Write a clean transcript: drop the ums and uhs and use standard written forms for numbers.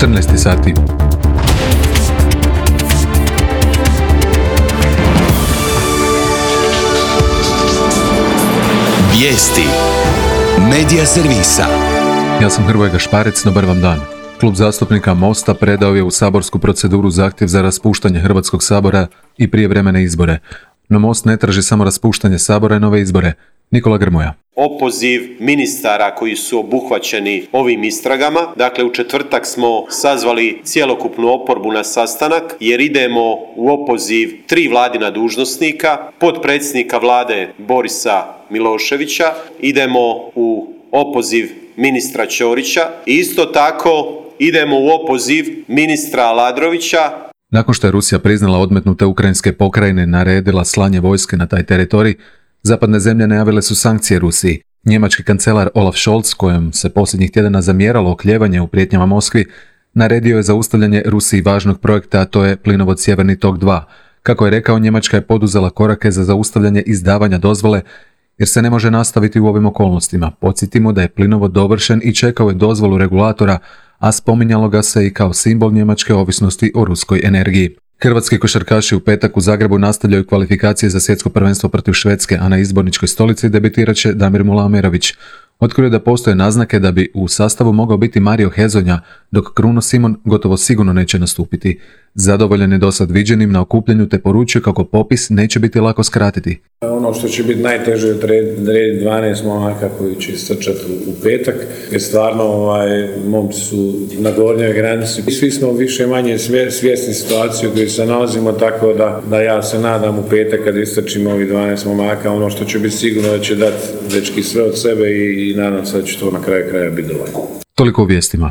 14 sati. Vijesti Medija servisa. Ja sam Hrvoje Gašparec, dobar vam dan. Klub zastupnika Mosta predao je u saborsku proceduru zahtjev za raspuštanje Hrvatskog sabora i prijevremene izbore. No Most ne traži samo raspuštanje sabora i nove izbore. Nikola Grmoja. Opoziv ministara koji su obuhvaćeni ovim istragama. Dakle, u četvrtak smo sazvali cjelokupnu oporbu na sastanak jer idemo u opoziv 3 vladina dužnosnika, potpredsjednika vlade Borisa Miloševića, idemo u opoziv ministra Ćorića i isto tako idemo u opoziv ministra Aladrovića. Nakon što je Rusija priznala odmetnute ukrajinske pokrajine, naredila slanje vojske na taj teritorij, zapadne zemlje najavile su sankcije Rusiji. Njemački kancelar Olaf Scholz, kojem se posljednjih tjedana zamjeralo oklijevanje u prijetnjama Moskvi, naredio je zaustavljanje Rusiji važnog projekta, a to je plinovod Sjeverni tok 2. Kako je rekao, Njemačka je poduzela korake za zaustavljanje izdavanja dozvole, jer se ne može nastaviti u ovim okolnostima. Podsjetimo da je plinovod dovršen i čekao je dozvolu regulatora, a spominjalo ga se i kao simbol njemačke ovisnosti o ruskoj energiji. Hrvatski košarkaši u petak u Zagrebu nastavljaju kvalifikacije za svjetsko prvenstvo protiv Švedske, a na izborničkoj stolici debitirat će Damir Mulamerović. Otkrio da postoje naznake da bi u sastavu mogao biti Mario Hezonja, dok Kruno Simon gotovo sigurno neće nastupiti. Zadovoljan je dosad viđenim na okupljanju te poručio kako popis neće biti lako skratiti. Ono što će biti najteže je odrediti 12 momaka koji će istrčati u petak, jer stvarno momci su na gornjoj granici. Svi smo više manje svjesni situacije u kojoj se nalazimo, tako da ja se nadam u petak kad istrčimo ovih 12 momaka, ono što će biti sigurno da će dati dečki sve od sebe i nadam se da će to na kraju kraja biti dovoljno. Toliko u vijestima.